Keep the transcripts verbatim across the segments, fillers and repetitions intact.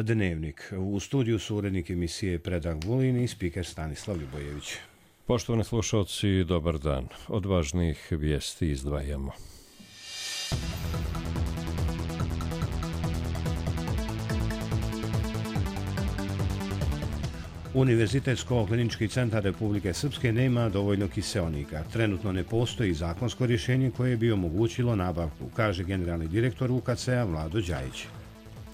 Dnevnik. U studiju su urednik emisije Predrag Vulin i spiker Stanislav Ljubojević. Poštovani slušalci, dobar dan. Od važnijih vijesti izdvajamo. Univerzitetsko-klinički centar Republike Srpske nema dovoljno kiseonika. Trenutno ne postoji zakonsko rješenje koje bi omogućilo nabavku, kaže generalni direktor U K C-a Vlado Đajić.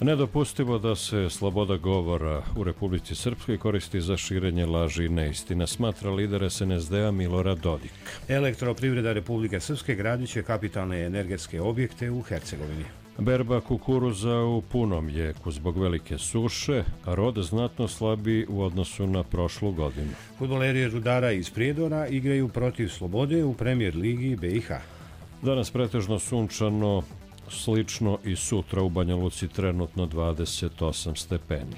Nedopustivo da se sloboda govora u Republici Srpskoj koristi za širenje laži i neistina, smatra lider S N S D-a Milorad Dodik. Elektroprivreda Republike Srpske gradit će kapitalne energetske objekte u Hercegovini. Berba kukuruza u punom jeku zbog velike suše, a rod znatno slabi u odnosu na prošlu godinu. Fudbaleri Rudara iz Prijedora igraju protiv Slobode u Premier ligi B i H. Danas pretežno sunčano, slično i sutra u Banja Luci trenutno dvadeset osam stepeni.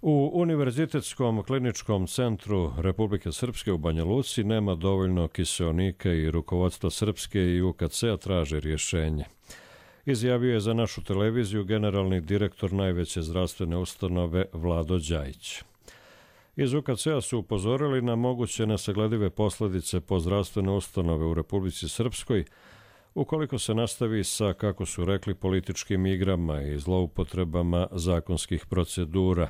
U Univerzitetskom kliničkom centru Republike Srpske u Banja Luci nema dovoljno kiseonika i rukovodstvo Srpske i U K C-a traže rješenje. Izjavio je za našu televiziju generalni direktor najveće zdravstvene ustanove Vlado Đajić. Iz U K C-a su upozorili na moguće nesagledive posljedice po zdravstvene ustanove u Republici Srpskoj ukoliko se nastavi sa, kako su rekli, političkim igrama i zloupotrebama zakonskih procedura.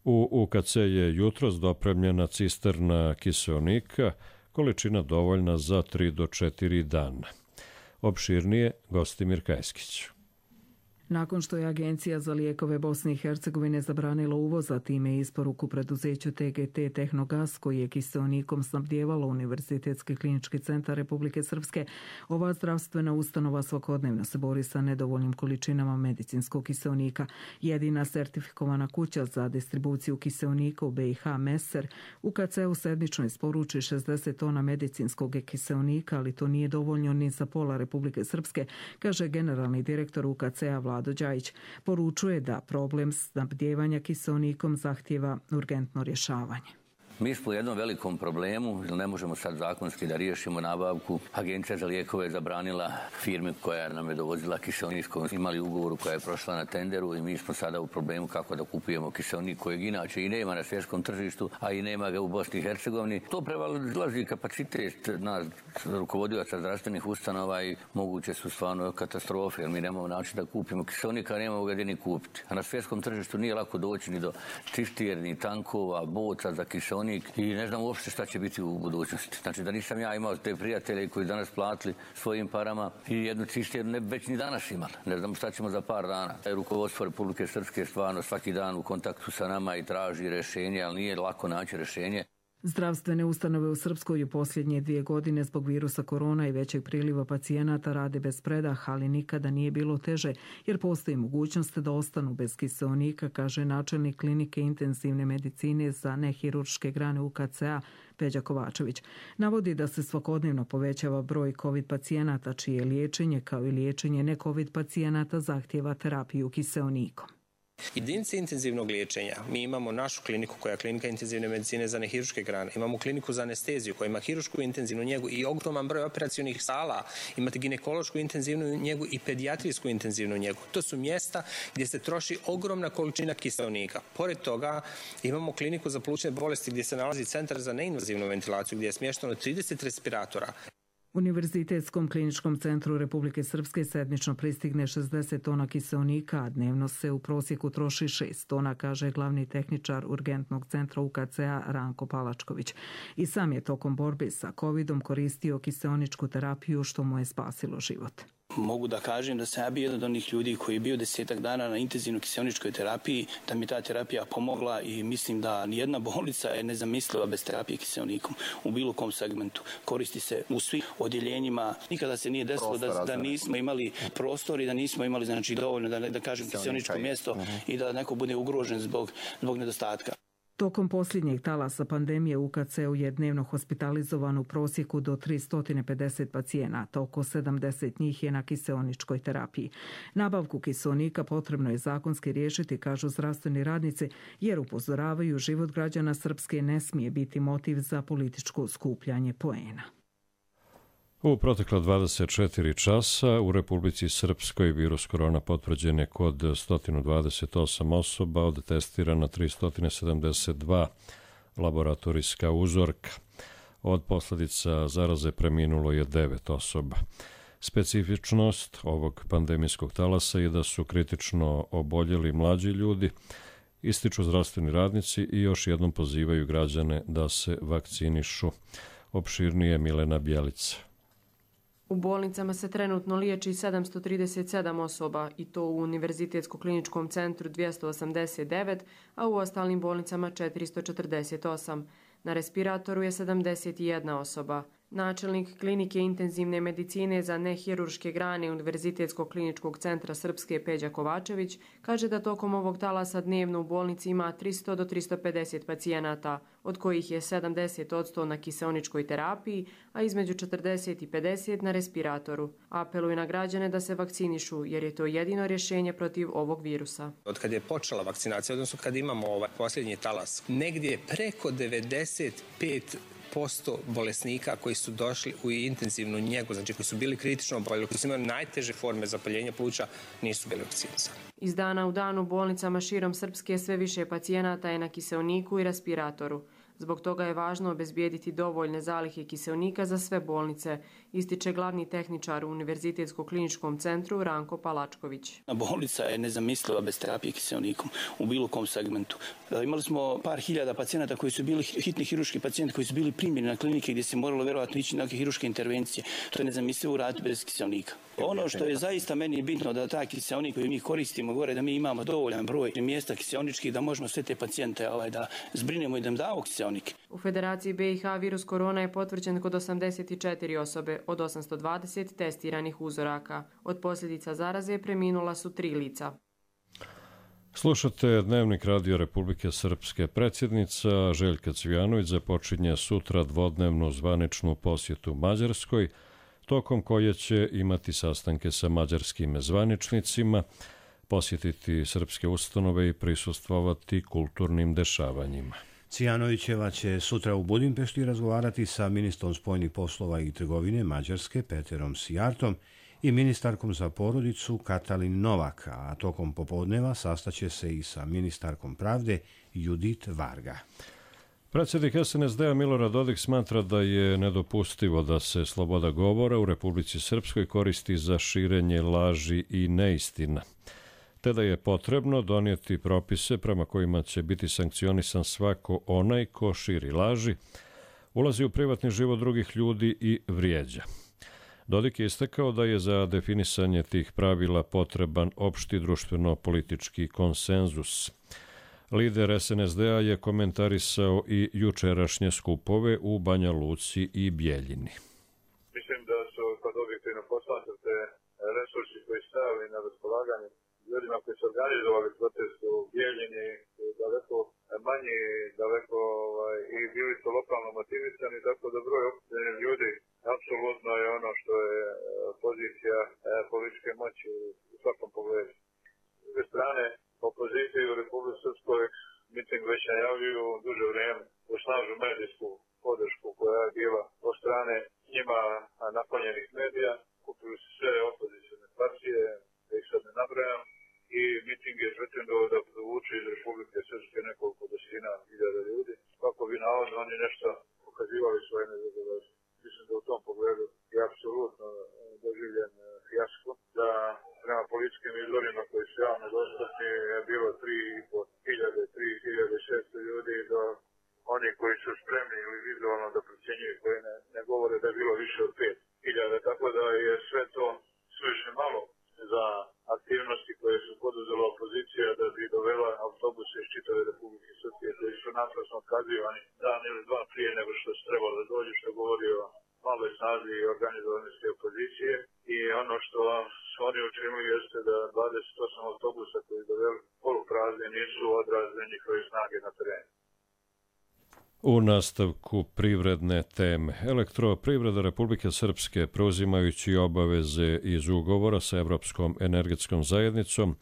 U U K C je jutros dopremljena cisterna kiseonika, količina dovoljna za tri do četiri dana. Opširnije Gostimir Kajskić. Nakon što je Agencija za lijekove Bosne i Hercegovine zabranila uvoz, a time i isporuku preduzeću T G T Tehnogas, koji je kiseonikom snabdjevalo Univerzitetski klinički centar Republike Srpske, ova zdravstvena ustanova svakodnevno se bori sa nedovoljnim količinama medicinskog kiseonika. Jedina sertifikovana kuća za distribuciju kiseonika u B i H, Meser, U K C u sedmično isporuči šezdeset tona medicinskog kiseonika, ali to nije dovoljno ni za pola Republike Srpske, kaže generalni direktor U K C-a Vlado Đajić. Poručuje da problem snabdijevanja kiseonikom zahtijeva urgentno rješavanje. Mi smo u jednom velikom problemu, jer ne možemo sad zakonski da riješimo nabavku. Agencija za lijekove je zabranila firmi koja nam je dovozila kiseonik, imali ugovoru koja je prošla na tenderu i mi smo sada u problemu kako da kupujemo kiseonik kojeg inače i nema na svjetskom tržištu, a i nema ga u Bosni i Hercegovini. To prevazilazi kapacitet nas rukovodioca zdravstvenih ustanova i moguće su stvarno katastrofe, jer mi nemamo način da kupimo kiseonik, a nemamo ga gdje ni kupiti. A na svjetskom tržištu nije lako doći ni do cisterni, tankova, boca za kiseonik i ne znam uopšte šta će biti u budućnosti. Znači da nisam ja imao te prijatelje koji danas platili svojim parama i jednu cisternu ne već ni danas imali. Ne znam šta ćemo za par dana. Rukovodstvo Republike Srpske stvarno svaki dan u kontaktu sa nama i traži rješenje, ali nije lako naći rješenje. Zdravstvene ustanove u Srpskoj u posljednje dvije godine zbog virusa korona i većeg priliva pacijenata rade bez predaha, ali nikada nije bilo teže, jer postoji mogućnost da ostanu bez kiseonika, kaže načelnik klinike intenzivne medicine za nehirurške grane U K C-a Peđa Kovačević. Navodi da se svakodnevno povećava broj COVID pacijenata, čije liječenje kao i liječenje ne-COVID pacijenata zahtijeva terapiju kiseonikom. Jedinice intenzivnog liječenja. Mi imamo našu kliniku koja je klinika intenzivne medicine za nehirurške grane. Imamo kliniku za anesteziju koja ima hirušku intenzivnu njegu i ogroman broj operacionih sala. Imate ginekološku intenzivnu njegu i pedijatrijsku intenzivnu njegu. To su mjesta gdje se troši ogromna količina kiseonika. Pored toga imamo kliniku za plućne bolesti gdje se nalazi centar za neinvazivnu ventilaciju gdje je smješteno trideset respiratora. Univerzitetskom kliničkom centru Republike Srpske sedmično pristigne šezdeset tona kiseonika, a dnevno se u prosjeku troši šest tona, kaže glavni tehničar urgentnog centra U K C-a Ranko Palačković. I sam je tokom borbe sa covidom koristio kiseoničku terapiju, što mu je spasilo život. Mogu da kažem da sam ja bio jedan od onih ljudi koji je bio desetak dana na intenzivnoj kiseoničkoj terapiji, da mi ta terapija pomogla i mislim da nijedna bolnica je nezamisliva bez terapije kiseonikom u bilo kom segmentu. Koristi se u svih odjeljenjima. Nikada se nije desilo da, da nismo imali prostor i da nismo imali znači, dovoljno da, da kažem kiseoničko mjesto uh-huh. i da neko bude ugrožen zbog, zbog nedostatka. Tokom posljednjeg talasa pandemije U K C-u je dnevno hospitalizovano u prosjeku do tristo pedeset pacijenata, oko sedamdeset njih je na kiseoničkoj terapiji. Nabavku kiseonika potrebno je zakonski riješiti, kažu zdravstveni radnici, jer upozoravaju život građana Srpske ne smije biti motiv za političko skupljanje poena. U protekla dvadeset četiri časa u Republici Srpskoj virus korona potvrđen je kod sto dvadeset osam osoba, od testirana tristo sedamdeset dva laboratorijska uzorka. Od posljedica zaraze preminulo je devet osoba. Specifičnost ovog pandemijskog talasa je da su kritično oboljeli mlađi ljudi, ističu zdravstveni radnici i još jednom pozivaju građane da se vakcinišu. Opširnije Milena Bjelica. U bolnicama se trenutno liječi sedamsto trideset sedam osoba i to u Univerzitetsko-kliničkom centru dvjesto osamdeset devet, a u ostalim bolnicama četiristo četrdeset osam. Na respiratoru je sedamdeset jedna osoba. Načelnik klinike intenzivne medicine za nehirurške grane Univerzitetskog kliničkog centra Srpske Peđa Kovačević kaže da tokom ovog talasa dnevno u bolnici ima tristo do tristo pedeset pacijenata, od kojih je sedamdeset posto na kiseoničkoj terapiji, a između četrdeset i pedeset na respiratoru. Apeluje na građane da se vakcinišu jer je to jedino rješenje protiv ovog virusa. Od kad je počela vakcinacija, odnosno kad imamo ovaj posljednji talas, negdje je preko devedeset pet posto bolesnika koji su došli u intenzivnu njegu, znači koji su bili kritično oboljeli, koji su imali najteže forme zapaljenja pluća, nisu bili vakcinisani. Iz dana u dan u bolnicama širom Srpske sve više pacijenata je na kiseoniku i respiratoru. Zbog toga je važno obezbijediti dovoljne zalihe kiseonika za sve bolnice, ističe glavni tehničar u Univerzitetskom centru Ranko Palačković. Bolnica je nezamisliva bez terapije kiseonikom u bilo kom segmentu. Imali smo par hiljada pacijenata koji su bili hitni hirurški pacijenti koji su bili primljeni na klinike gdje se moralo vjerovatno ići na neke hirurške intervencije. To je nezamislivo uraditi bez kiseonika. Ono što je zaista meni bitno da taj kiseonik koji mi koristimo gore, da mi imamo dovoljan broj mjesta kiseoničkih da možemo sve te pacijente ovaj, da zbrinemo i da im damo kiseonik. U Federaciji B i H virus korona je potvrđen kod osamdeset četiri osobe od osamsto dvadeset testiranih uzoraka. Od posljedica zaraze preminula su tri lica. Slušate Dnevnik Radio Republike Srpske. Predsjednica Željka Cvijanović započinje sutra dvodnevnu zvaničnu posjetu Mađarskoj, tokom koje će imati sastanke sa mađarskim zvaničnicima, posjetiti srpske ustanove i prisustvovati kulturnim dešavanjima. Cvijanovićeva će sutra u Budimpešti razgovarati sa ministrom spoljnih poslova i trgovine Mađarske Peterom Sijartom i ministarkom za porodicu Katalin Novak, a tokom popodneva sastaće se i sa ministarkom pravde Judit Varga. Predsjednik S N S D-a Milorad Dodik smatra da je nedopustivo da se sloboda govora u Republici Srpskoj koristi za širenje laži i neistina, te da je potrebno donijeti propise prema kojima će biti sankcionisan svako onaj ko širi laži, ulazi u privatni život drugih ljudi i vrijeđa. Dodik je istakao da je za definisanje tih pravila potreban opšti društveno-politički konsenzus. Lider S N S D-a je komentarisao i jučerašnje skupove u Banja Luci i Bjeljini. Mislim da su kod objektivno poslatate resursi koji stavili na raspolaganje ljudima koji su organizovali protest u Bjeljini daleko manji, daleko ovaj, i bili su lokalno motivisani, tako da broj okupljenih ljudi apsolutno je ono što je pozicija političke moći u svakom pogledu. S druge strane, opozicija u Republici Srpskoj miting već najavljuju duže vrijeme u snažnu medijsku podršku koja je bila od strane njima naklonjenih medija. Kupili su sve opozicijne partije, da ih sad ne nabrajam, i miting je pretendovao da privuče iz Republike Srpske nekoliko desetina hiljada ljudi, kako bi navodno oni nešto pokazivali svoje nezadovoljstvo. Mislim da u tom pogledu je apsolutno doživljen fijasko, da prema političkim izvorima koji su javno dostupni je bilo tri hiljade, tri hiljade šesto ljudi, do oni koji su spremni ili vizualno da procjenjuju, koji ne, ne govore da je bilo više od pet hiljada, tako da je sve to suviše malo za aktivnosti koje su poduzela opozicija da bi dovela autobuse iz čitave Republike Srpske koji su naprasno otkazivani dan ili dva prije nego što se trebalo da dođe, što govori o maloj snazi i organizovanosti opozicije. I ono što su oni učinili jeste da dvadeset osam autobusa koji doveli poluprazni nisu odrazne njihove snage na terenu. U nastavku privredne teme, Elektroprivreda Republike Srpske, preuzimajući obaveze iz ugovora sa Evropskom energetskom zajednicom,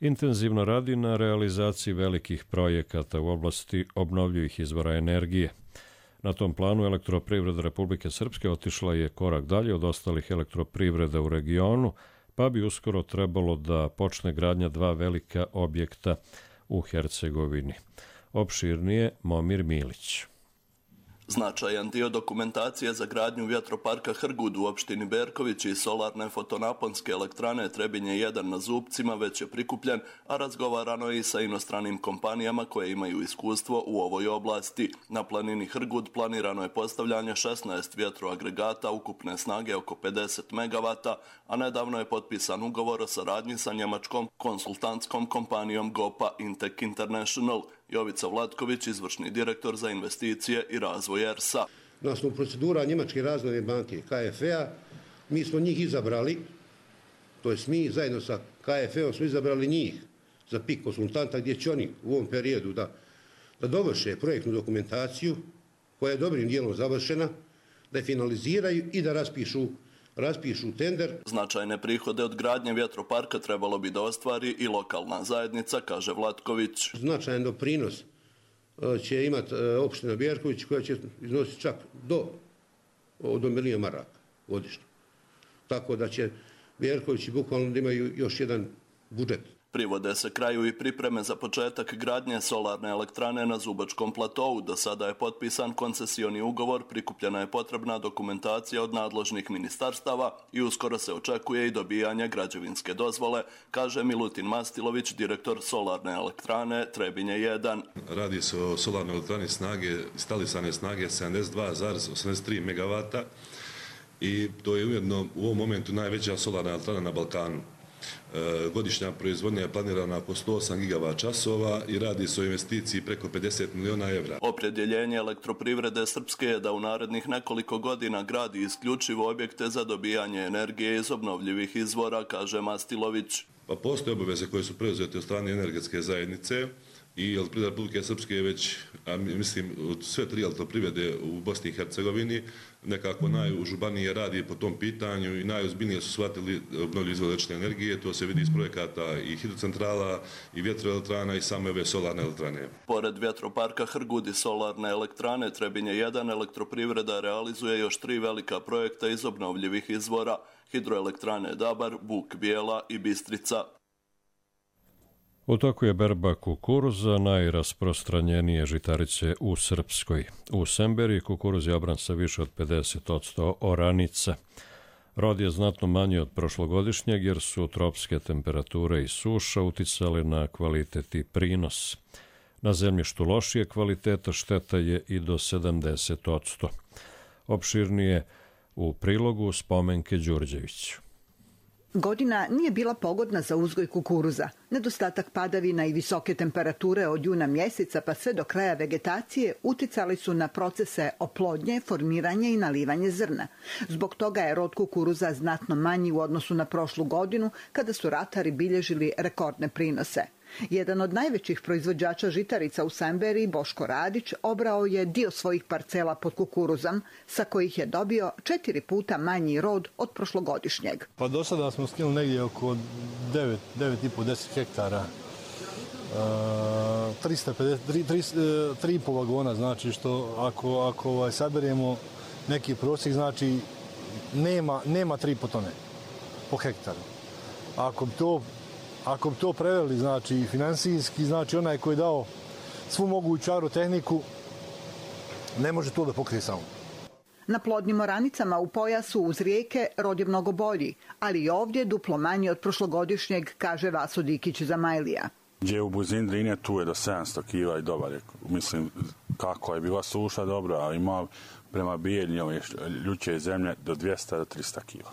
intenzivno radi na realizaciji velikih projekata u oblasti obnovljivih izvora energije. Na tom planu elektroprivreda Republike Srpske otišla je korak dalje od ostalih elektroprivreda u regionu, pa bi uskoro trebalo da počne gradnja dva velika objekta u Hercegovini. Opširnije Momir Milić. Značajan dio dokumentacije za gradnju vjetroparka Hrgud u opštini Berković i solarne fotonaponske elektrane Trebinje jedan na Zubcima već je prikupljen, a razgovarano je i sa inostranim kompanijama koje imaju iskustvo u ovoj oblasti. Na planini Hrgud planirano je postavljanje šesnaest vjetroagregata ukupne snage oko pedeset megavata, a nedavno je potpisan ugovor o saradnji sa njemačkom konsultantskom kompanijom Gopa Intec International. Jovica Vlatković, izvršni direktor za investicije i razvoj E R S-a. Na osnovu procedura Njemačke razvojne banke K F E-a, mi smo njih izabrali, to jest mi zajedno sa K F E-om smo izabrali njih za P I K konsultanta, gdje će oni u ovom periodu da, da dovrše projektnu dokumentaciju koja je dobrim dijelom završena, da je finaliziraju i da raspišu raspišu tender. Značajne prihode od gradnje vjetroparka trebalo bi da ostvari i lokalna zajednica, kaže Vlatković. Značajan doprinos će imati opština Berković, koja će iznositi čak do, do milijuna maraka godišnje. Tako da će Berkovići bukvalno da imaju još jedan budžet. Privode se kraju i pripreme za početak gradnje solarne elektrane na Zubačkom platovu. Do sada je potpisan koncesioni ugovor, prikupljena je potrebna dokumentacija od nadležnih ministarstava i uskoro se očekuje i dobijanje građevinske dozvole, kaže Milutin Mastilović, direktor solarne elektrane Trebinje jedan. Radi se o solarnoj elektrani snage, instalisane snage sedamdeset dva zarez osamdeset tri megavata i to je ujedno u ovom momentu najveća solarna elektrana na Balkanu. Godišnja proizvodnja je planirana oko sto osam gigavat časova i radi se o investiciji preko pedeset miliona evra. Opredjeljenje elektroprivrede Srpske je da u narednih nekoliko godina gradi isključivo objekte za dobijanje energije iz obnovljivih izvora, kaže Mastilović. Pa postoje obaveze koje su preuzete od strane energetske zajednice i Elektroprivreda Republike Srpske je već, a mislim, od sve tri elektroprivrede u Bosni i Hercegovini nekako najužurbanije radi po tom pitanju i najozbiljnije su shvatili obnovljive izvore električne energije. To se vidi iz projekata i hidrocentrala i vjetroelektrana i same ove solarne elektrane. Pored vjetroparka Hrgud i solarne elektrane Trebinje jedan, elektroprivreda realizuje još tri velika projekta iz obnovljivih izvora: hidroelektrane Dabar, Buk Bijela i Bistrica. U toku je berba kukuruza, najrasprostranjenije žitarice u Srpskoj. U Semberiji kukuruz je obran sa više od pedeset posto oranica. Rod je znatno manji od prošlogodišnjeg jer su tropske temperature i suša uticale na kvalitet i prinos. Na zemljištu lošije kvaliteta šteta je i do sedamdeset posto. Opširnije u prilogu Spomenke Đurđević. Godina nije bila pogodna za uzgoj kukuruza. Nedostatak padavina i visoke temperature od juna mjeseca pa sve do kraja vegetacije uticali su na procese oplodnje, formiranje i nalivanje zrna. Zbog toga je rod kukuruza znatno manji u odnosu na prošlu godinu, kada su ratari bilježili rekordne prinose. Jedan od najvećih proizvođača žitarica u Semberiji, Boško Radić, obrao je dio svojih parcela pod kukuruzom, sa kojih je dobio četiri puta manji rod od prošlogodišnjeg. Pa do sada smo skinuli negdje oko devet, devet i po do deset hektara. E, trista pedeset, tri i po vagona, znači što ako, ako ovaj, saberemo neki prosjek, znači nema, nema tri i po tone po hektaru. Ako bi to Ako bi to preveli, znači finansijski, znači onaj koji je dao svu moguću agrotehniku, ne može to da pokrije samo. Na plodnim oranicama u pojasu uz rijeke rod je mnogo bolji, ali i ovdje duplo manji od prošlogodišnjeg, kaže Vaso Dikić za Majlija. Gdje u blizini Drine tu je do sedamsto kila i dobar je. Mislim, kako je bila suša dobro, a ima prema bijeljnjoj ljuće zemlje do dvjesto do trista kila.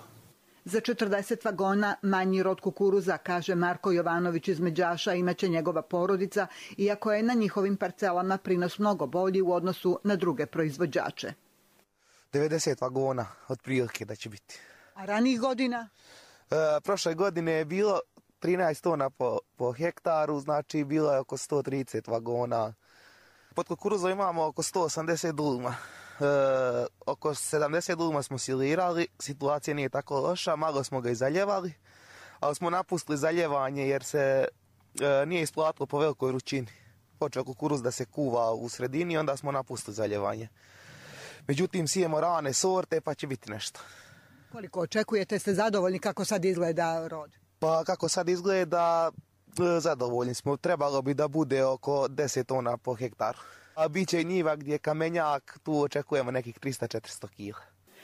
Za četrdeset vagona manji rod kukuruza, kaže Marko Jovanović iz Međaša, imaće njegova porodica, iako je na njihovim parcelama prinos mnogo bolji u odnosu na druge proizvođače. devedeset vagona od prilike da će biti. A ranijih godina? E, prošle godine je bilo trinaest tona po, po hektaru, znači bilo je oko sto trideset vagona. Pod kukuruzom imamo oko sto osamdeset dulma. E, oko sedamdeset dulma smo silirali, situacija nije tako loša, malo smo ga i zaljevali, ali smo napustili zaljevanje jer se e, nije isplatilo po velikoj vrućini. Počeo kukuruz da se kuva u sredini, onda smo napustili zaljevanje. Međutim, sijemo rane sorte pa će biti nešto. Koliko očekujete, ste zadovoljni kako sad izgleda rod? Pa kako sad izgleda, zadovoljni smo. Trebalo bi da bude oko deset tona po hektaru. A bit će i njiva gdje je kamenjak, tu očekujemo nekih trista do četiristo kila.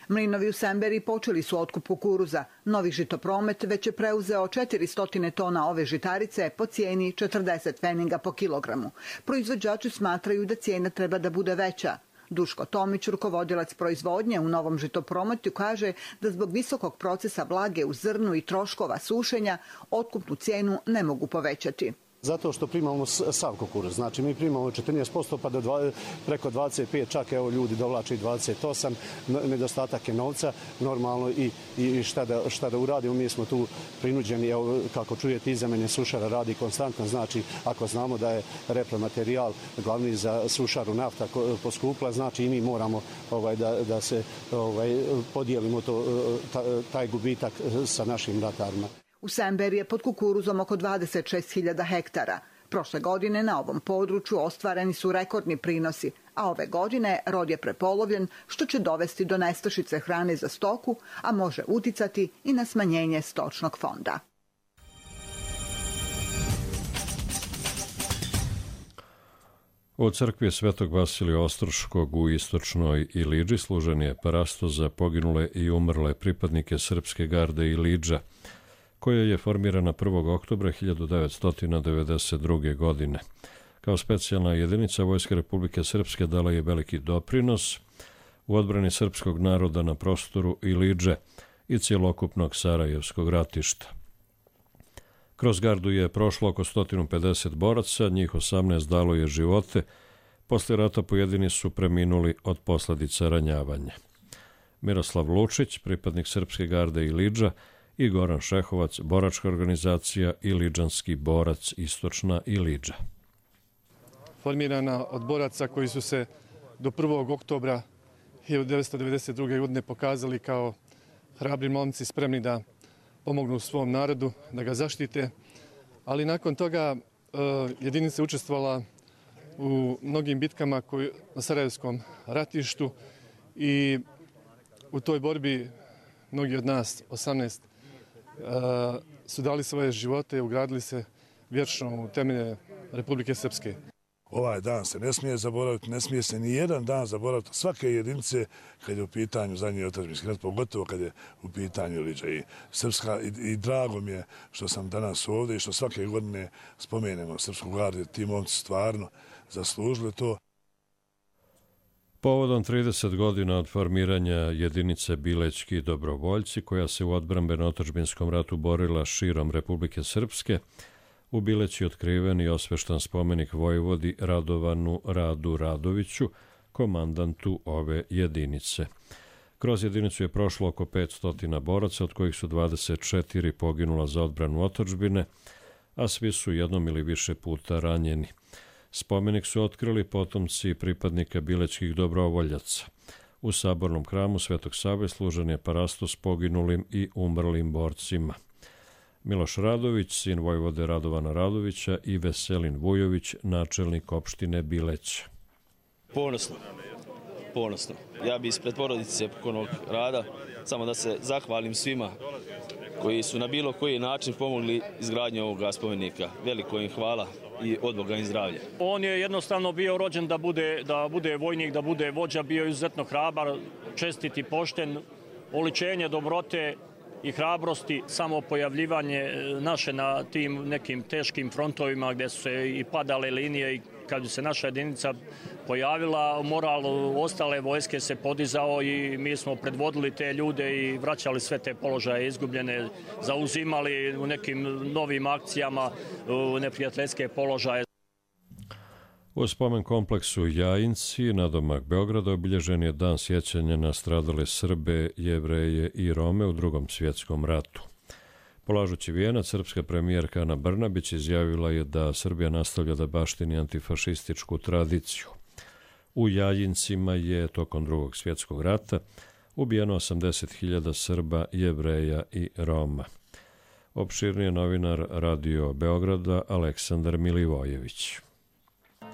Mlinovi u Semberi počeli su otkup kukuruza. Novi žitopromet već je preuzeo četiristo tona ove žitarice po cijeni četrdeset pfeninga po kilogramu. Proizvođači smatraju da cijena treba da bude veća. Duško Tomić, rukovodilac proizvodnje u Novom žitoprometu, kaže da zbog visokog procesa vlage u zrnu i troškova sušenja otkupnu cijenu ne mogu povećati. Zato što primamo sav kukuruz. Znači mi primamo četrnaest posto pa do dva, preko dvadeset pet, čak evo ljudi dovlače i dvadeset osam, nedostatak je novca, normalno i, i šta, da, šta da uradimo, mi smo tu prinuđeni, evo, kako čujete iza mene sušara radi konstantno, znači ako znamo da je repromaterijal glavni za sušaru nafta poskupla, znači i mi moramo ovaj, da, da se ovaj, podijelimo to, taj gubitak sa našim ratarima. U Semberi je pod kukuruzom oko dvadeset šest hiljada hektara. Prošle godine na ovom području ostvareni su rekordni prinosi, a ove godine rod je prepolovljen, što će dovesti do nestašice hrane za stoku, a može uticati i na smanjenje stočnog fonda. U crkvi Svetog Vasilija Ostroškog u istočnoj Ilidži služen je parasto za poginule i umrle pripadnike Srpske garde Ilidža, koja je formirana prvog oktobra hiljadu devetsto devedeset druge. godine. Kao specijalna jedinica Vojske Republike Srpske dala je veliki doprinos u odbrani srpskog naroda na prostoru Ilidže i cjelokupnog Sarajevskog ratišta. Kroz gardu je prošlo oko sto pedeset boraca, njih osamnaest dalo je živote, posle rata pojedini su preminuli od posljedica ranjavanja. Miroslav Lučić, pripadnik Srpske garde Ilidža, i Goran Šehovac, boračka organizacija Ilidžanski borac Istočna Ilidža. Formirana od boraca koji su se do prvog oktobra hiljadu devetsto devedeset druge. godine pokazali kao hrabri momci spremni da pomognu svom narodu, da ga zaštite, ali nakon toga jedinica je učestvovala u mnogim bitkama koji, na Sarajevskom ratištu i u toj borbi mnogi od nas, osamnaest, su dali svoje živote i ugradili se vječno u temelje Republike Srpske. Ovaj dan se ne smije zaboraviti, ne smije se ni jedan dan zaboraviti svake jedinice kad je u pitanju zadnji otadžbinski rat, pogotovo kad je u pitanju Ilidža i Srpska. I, i drago mi je što sam danas ovdje i što svake godine spomenemo Srpsku gardu. Ti momci stvarno zaslužili to. Povodom trideset godina od formiranja jedinice Bilećki dobrovoljci, koja se u odbrambeno-otadžbinskom ratu borila širom Republike Srpske, u Bileći otkriven i osveštan spomenik vojvodi Radovanu Radu Radoviću, komandantu ove jedinice. Kroz jedinicu je prošlo oko petsto boraca, od kojih su dvadeset četiri poginula za odbranu otadžbine, a svi su jednom ili više puta ranjeni. Spomenik su otkrili potomci pripadnika bilećkih dobrovoljaca. U sabornom hramu Svetog Save služen je parasto s poginulim i umrlim borcima. Miloš Radović, sin vojvode Radovana Radovića, i Veselin Vujović, načelnik opštine Bileć. Ponosno, ponosno. Ja bi ispred porodice pokojnog Rada samo da se zahvalim svima koji su na bilo koji način pomogli izgradnju ovoga spomenika. Veliko im hvala i od Boga im zdravlja. On je jednostavno bio rođen da bude, da bude vojnik, da bude vođa, bio izuzetno hrabar, čestit i pošten, oličenje dobrote i hrabrosti, samo pojavljivanje naše na tim nekim teškim frontovima gdje su se i padale linije i kad se naša jedinica pojavila, moral ostale vojske se podizao i mi smo predvodili te ljude i vraćali sve te položaje izgubljene, zauzimali u nekim novim akcijama u neprijateljske položaje. U spomen kompleksu Jajinci, nadomak Beograda, obilježen je dan sjećanja na stradale Srbe, Jevreje i Rome u Drugom svjetskom ratu. Polažući vijenac, srpska premijerka Ana Brnabić izjavila je da Srbija nastavlja da baštini antifašističku tradiciju. U Jajincima je tokom Drugog svjetskog rata ubijeno osamdeset hiljada Srba, Jevreja i Roma. Opširnije novinar Radio Beograda Aleksandar Milivojević.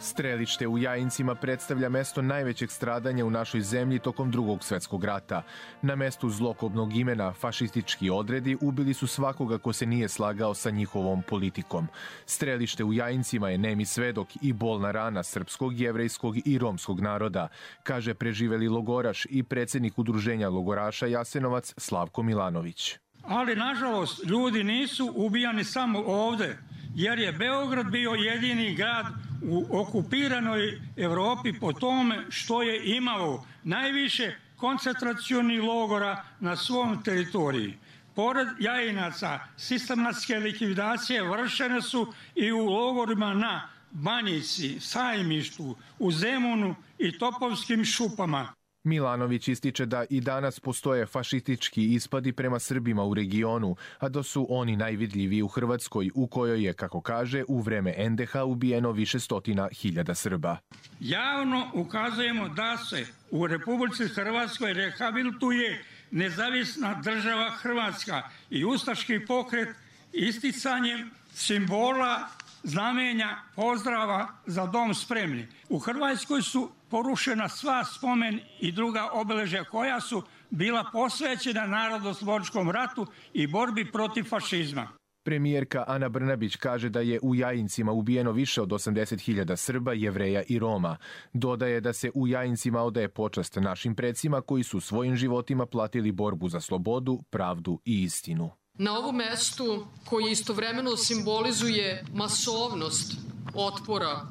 Strelište u Jajincima predstavlja mesto najvećeg stradanja u našoj zemlji tokom Drugog svjetskog rata. Na mestu zlokobnog imena fašistički odredi ubili su svakoga ko se nije slagao sa njihovom politikom. Strelište u Jajincima je nemi svedok i bolna rana srpskog, jevrejskog i romskog naroda, kaže preživeli logoraš i predsjednik udruženja logoraša Jasenovac Slavko Milanović. Ali, nažalost, ljudi nisu ubijani samo ovde, jer je Beograd bio jedini grad u okupiranoj Evropi po tome što je imao najviše koncentracionih logora na svom teritoriji. Pored Jajinaca, sistematske likvidacije vršene su i u logorima na Banjici, Sajmištu, u Zemunu i Topovskim šupama. Milanović ističe da i danas postoje fašistički ispadi prema Srbima u regionu, a da su oni najvidljiviji u Hrvatskoj, u kojoj je, kako kaže, u vreme en de ha ubijeno više stotina hiljada Srba. Javno ukazujemo da se u Republici Hrvatskoj rehabilituje nezavisna država Hrvatska i ustaški pokret isticanjem simbola, znamenja, pozdrava za dom spremni. U Hrvatskoj su porušena sva spomen i druga obeležja koja su bila posvećena narodnooslobodilačkom ratu i borbi protiv fašizma. Premijerka Ana Brnabić kaže da je u Jajincima ubijeno više od osamdeset hiljada Srba, Jevreja i Roma. Dodaje da se u Jajincima odaje počast našim predsima koji su svojim životima platili borbu za slobodu, pravdu i istinu. Na ovom mestu koji istovremeno simbolizuje masovnost otpora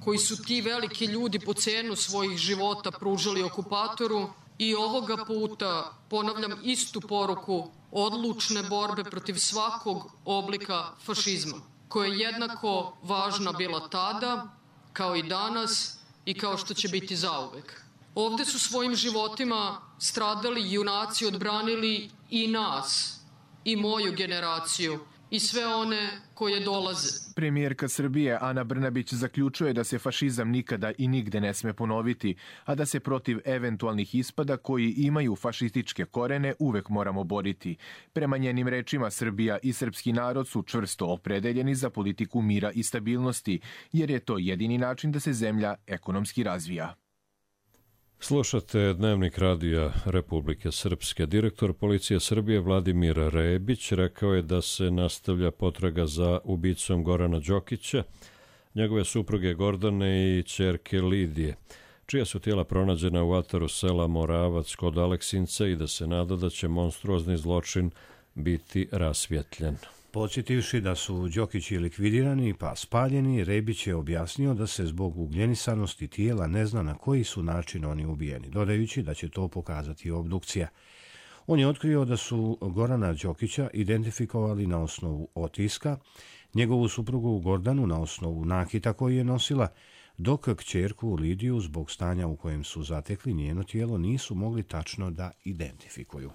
koji su ti veliki ljudi po cenu svojih života pružali okupatoru, i ovoga puta ponavljam istu poruku odlučne borbe protiv svakog oblika fašizma, koja je jednako važna bila tada, kao i danas i kao što će biti zauvek. Ovde su svojim životima stradali junaci, odbranili i nas, i moju generaciju, i sve one koje dolaze. Premijerka Srbije Ana Brnabić zaključuje da se fašizam nikada i nigde ne sme ponoviti, a da se protiv eventualnih ispada koji imaju fašističke korene uvek moramo boriti. Prema njenim rečima, Srbija i srpski narod su čvrsto opredeljeni za politiku mira i stabilnosti, jer je to jedini način da se zemlja ekonomski razvija. Slušate Dnevnik radija Republike Srpske. Direktor policije Srbije Vladimir Rebić rekao je da se nastavlja potraga za ubicom Gorana Đokića, njegove supruge Gordane i ćerke Lidije, čija su tijela pronađena u ataru sela Moravac kod Aleksinca, i da se nada da će monstruozni zločin biti rasvjetljen. Podsjetivši da su Đokići likvidirani pa spaljeni, Rebić je objasnio da se zbog ugljenisanosti tijela ne zna na koji su način oni ubijeni, dodajući da će to pokazati obdukcija. On je otkrio da su Gorana Đokića identifikovali na osnovu otiska, njegovu suprugu Gordanu na osnovu nakita koji je nosila, dok kćerku Lidiju zbog stanja u kojem su zatekli njeno tijelo nisu mogli tačno da identifikuju.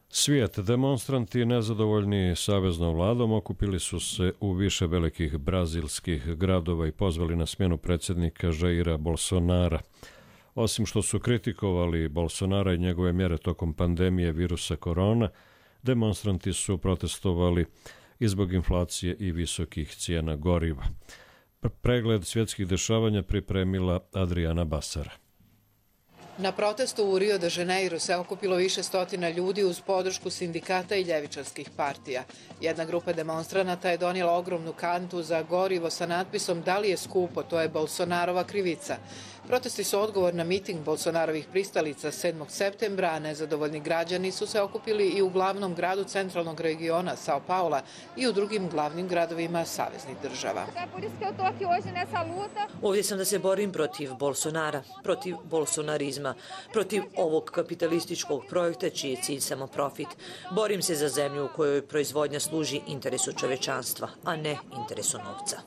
Svijet, demonstranti nezadovoljni saveznom vladom okupili su se u više velikih brazilskih gradova i pozvali na smjenu predsjednika Jaira Bolsonara. Osim što su kritikovali Bolsonara i njegove mjere tokom pandemije virusa korona, demonstranti su protestovali i zbog inflacije i visokih cijena goriva. Pregled svjetskih dešavanja pripremila Adriana Basara. Na protestu u Rio de Janeiro se okupilo više stotina ljudi uz podršku sindikata i ljevičarskih partija. Jedna grupa demonstranata je donijela ogromnu kantu za gorivo sa natpisom "Da li je skupo, to je Bolsonarova krivica". Protesti su odgovor na miting Bolsonarovih pristalica sedmog septembra, a nezadovoljni građani su se okupili i u glavnom gradu centralnog regiona Sao Paula i u drugim glavnim gradovima saveznih država. Ovdje sam da se borim protiv Bolsonara, protiv bolsonarizma, protiv ovog kapitalističkog projekta čiji je cilj samo profit. Borim se za zemlju u kojoj proizvodnja služi interesu čovečanstva, a ne interesu novca.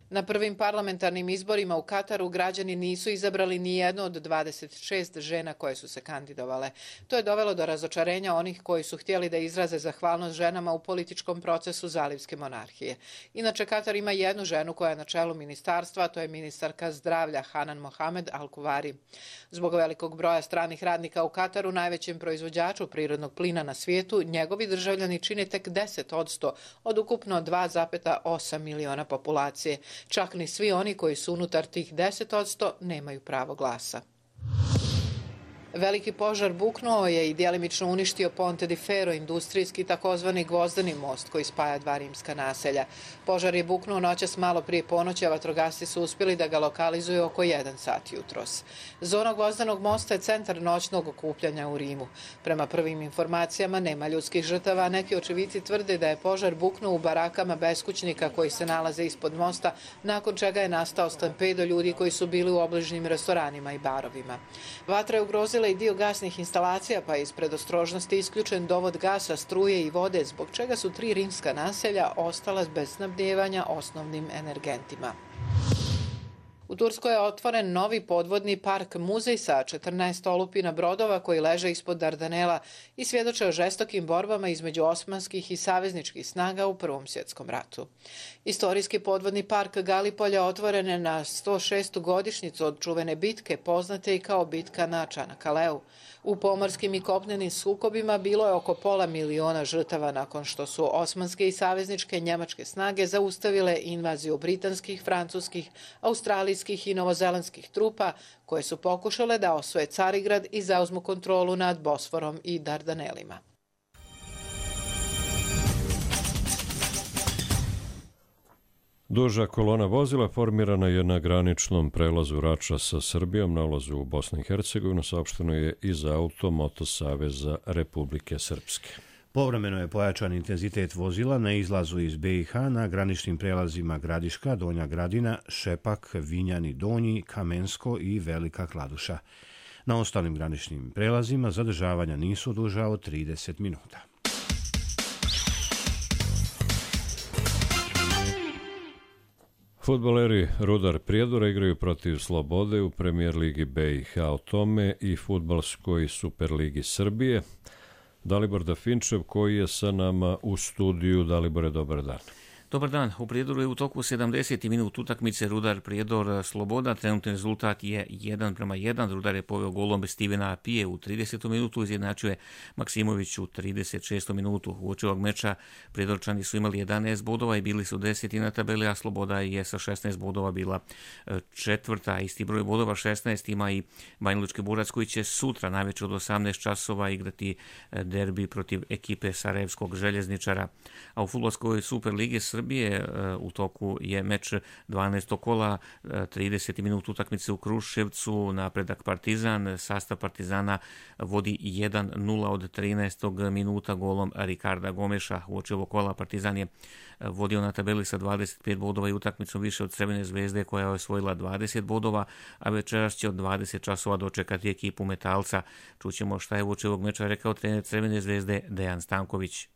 Na prvim parlamentarnim izborima u Kataru građani nisu izabrali ni jednu od dvadeset šest žena koje su se kandidovale. To je dovelo do razočarenja onih koji su htjeli da izraze zahvalnost ženama u političkom procesu zalivske monarhije. Inače, Katar ima jednu ženu koja je na čelu ministarstva, a to je ministarka zdravlja Hanan Mohamed Al-Kuvari. Zbog velikog broja stranih radnika u Kataru, najvećem proizvođaču prirodnog plina na svijetu, njegovi državljani čine tek deset posto od ukupno dva zarez osam miliona populacije. Čak ni svi oni koji su unutar tih deset odsto nemaju pravo glasa. Veliki požar buknuo je i djelimično uništio Ponte di Ferro, industrijski takozvani gvozdeni most koji spaja dva rimska naselja. Požar je buknuo noćas malo prije ponoći, a vatrogasci su uspjeli da ga lokalizuju oko jedan sat jutros. Zona gvozdenog mosta je centar noćnog okupljanja u Rimu. Prema prvim informacijama nema ljudskih žrtava, a neki očevici tvrde da je požar buknuo u barakama beskućnika koji se nalaze ispod mosta, nakon čega je nastao stampedo ljudi koji su bili u obližnjim restoranima i barovima. Vatra je ugrozila i dio gasnih instalacija, pa je iz predostrožnosti isključen dovod gasa, struje i vode, zbog čega su tri rimska naselja ostala bez snabdijevanja osnovnim energentima. U Turskoj je otvoren novi podvodni park muzej sa četrnaest olupina brodova koji leže ispod Dardanela i svjedoče o žestokim borbama između osmanskih i savezničkih snaga u Prvom svjetskom ratu. Istorijski podvodni park Galipolja otvoren je na sto šestu godišnjicu od čuvene bitke, poznate i kao bitka na Čanakaleu. U pomorskim i kopnenim sukobima bilo je oko pola miliona žrtava nakon što su osmanske i savezničke njemačke snage zaustavile invaziju britanskih, francuskih, australijskih i novozelandskih trupa koje su pokušale da osvoje Carigrad i zauzmu kontrolu nad Bosforom i Dardanelima. Duža kolona vozila formirana je na graničnom prelazu Rača sa Srbijom na ulazu u Bosnu i Hercegovinu, saopšteno je iz Auto Moto Saveza Republike Srpske. Povremeno je pojačan intenzitet vozila na izlazu iz be i ha na graničnim prelazima Gradiška, Donja Gradina, Šepak, Vinjani Donji, Kamensko i Velika Kladuša. Na ostalim graničnim prelazima zadržavanja nisu duža od trideset minuta. Fudbaleri Rudar Prijedora igraju protiv Slobode u premijer ligi be i ha o tome i fudbalskoj Superligi Srbije. Dalibor Dafinčev koji je sa nama u studiju. Dalibore, dobar dan. Dobar dan. U Prijedoru je u toku sedamdeseti minut utakmice Rudar Prijedor Sloboda. Trenutni rezultat je jedan prema jedan. Rudar je poveo golom Stevena Apije u tridesetom minutu, izjednačio je Maksimović u trideset šestom minutu. U oči ovog meča Prijedorčani su imali jedanaest bodova i bili su deseti na tabeli, a Sloboda je sa šesnaest bodova bila četvrta. Isti broj bodova šesnaest ima i Banjalučki Burac koji će sutra najveće od osamnaest časova igrati derbi protiv ekipe Sarajevskog željezničara. A u fudbalskoj Superligi Srbije u toku je meč dvanaestog kola, trideseti minut utakmice u Kruševcu, napredak Partizan, sastav Partizana vodi jedan nula od trinaestog minuta golom Rikarda Gomeša. U oči ovog kola Partizan je vodio na tabeli sa dvadeset pet bodova i utakmicom više od Crvene zvezde koja je osvojila dvadeset bodova, a večeras će od dvadeset časova dočekati ekipu Metalca. Čućemo šta je u oči ovog meča rekao trener Crvene zvezde Dejan Stanković.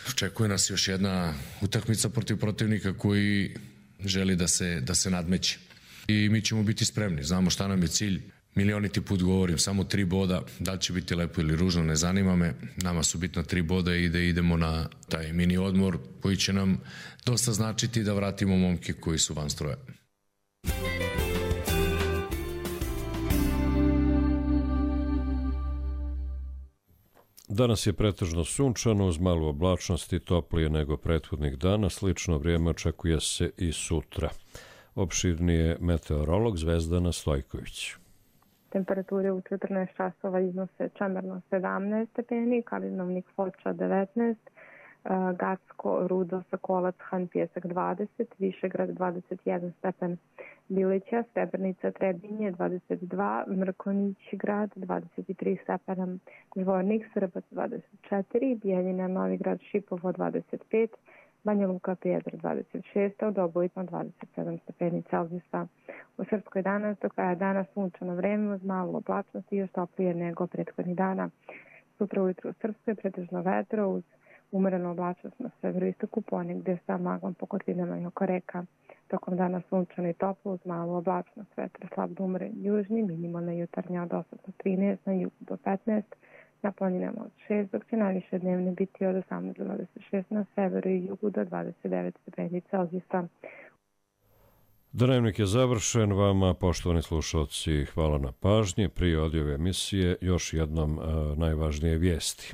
Očekuje nas još jedna utakmica protiv protivnika koji želi da se, da se nadmeće. I mi ćemo biti spremni, znamo šta nam je cilj. Milioniti put govorim, samo tri boda, da li će biti lepo ili ružno, ne zanima me. Nama su bitna tri boda i da idemo na taj mini odmor koji će nam dosta značiti da vratimo momke koji su van stroja. Danas je pretežno sunčano uz malu oblačnost i toplije nego prethodnih dana. Slično vrijeme očekuje se i sutra. Opširnije meteorolog Zvezdana Stojković. Temperature u četrnaest časova iznose Čemerno sedamnaest stepeni, Kalinovnik Foča devetnaest, Gacko, Rudo, Sokolac, Han Pjesak dvadeset, Višegrad dvadeset jedan stepen, Bilića, Srebrnica, Trebinje dvadeset dva, Mrkonić grad dvadeset tri stepena, Zvornik, Srbac dvadeset četiri, Bijeljina, Novigrad, Šipovo dvadeset pet, Banja Luka, Prijedor dvadeset šest, Dobojno dvadeset sedam stepeni Celzijusa. U Srpskoj danas do kraja dana sunčano vreme uz malu oblačnost i još toplije nego prethodnih dana. Sutra ujutru u Srpskoj pretežno vetro uz umerenu oblačnost na severoistoku, ponegdje sa maglom po kotinama i oko reka. Tokom dana sunčano i toplo uz malu oblačnost, vetar slab do umeren južni, minimalna jutarnja od osam do trinaest, na jugu do petnaest, na planinama od šest, dok će najviše dnevne biti od osamnaest do dvadeset šest, na severu i jugu do dvadeset devet stepeni Celzijusa. Dnevnik je završen. Vama, poštovani slušalci, hvala na pažnji. Prije odjave emisije još jednom a, najvažnije vijesti.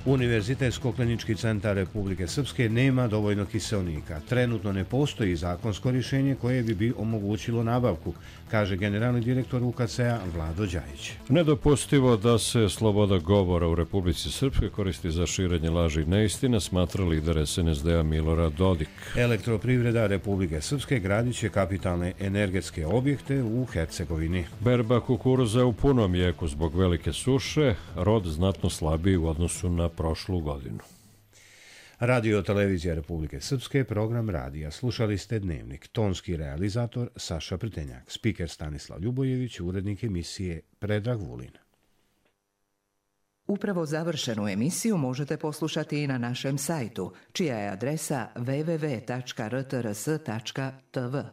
Univerzitetsko-klinički centar Republike Srpske nema dovoljno kiseonika. Trenutno ne postoji zakonsko rješenje koje bi bi omogućilo nabavku, kaže generalni direktor U K C-a Vlado Đajić. Nedopustivo da se sloboda govora u Republici Srpskoj koristi za širenje laži i neistine, smatra lider S N S D-a Milorad Dodik. Elektroprivreda Republike Srpske gradit će kapitalne energetske objekte u Hercegovini. Berba kukuruza u punom jeku zbog velike suše, rod znatno slabiji u odnosu na prošlu godinu. Radio televizija Republike Srpske, program radija. Slušali ste Dnevnik. Tonski realizator Saša Prtenjak, spiker Stanislav Ljubojević, urednik emisije Predrag Vulin. Upravo završenu emisiju možete poslušati i na našem sajtu, čija je adresa w w w tačka r t r s tačka t v.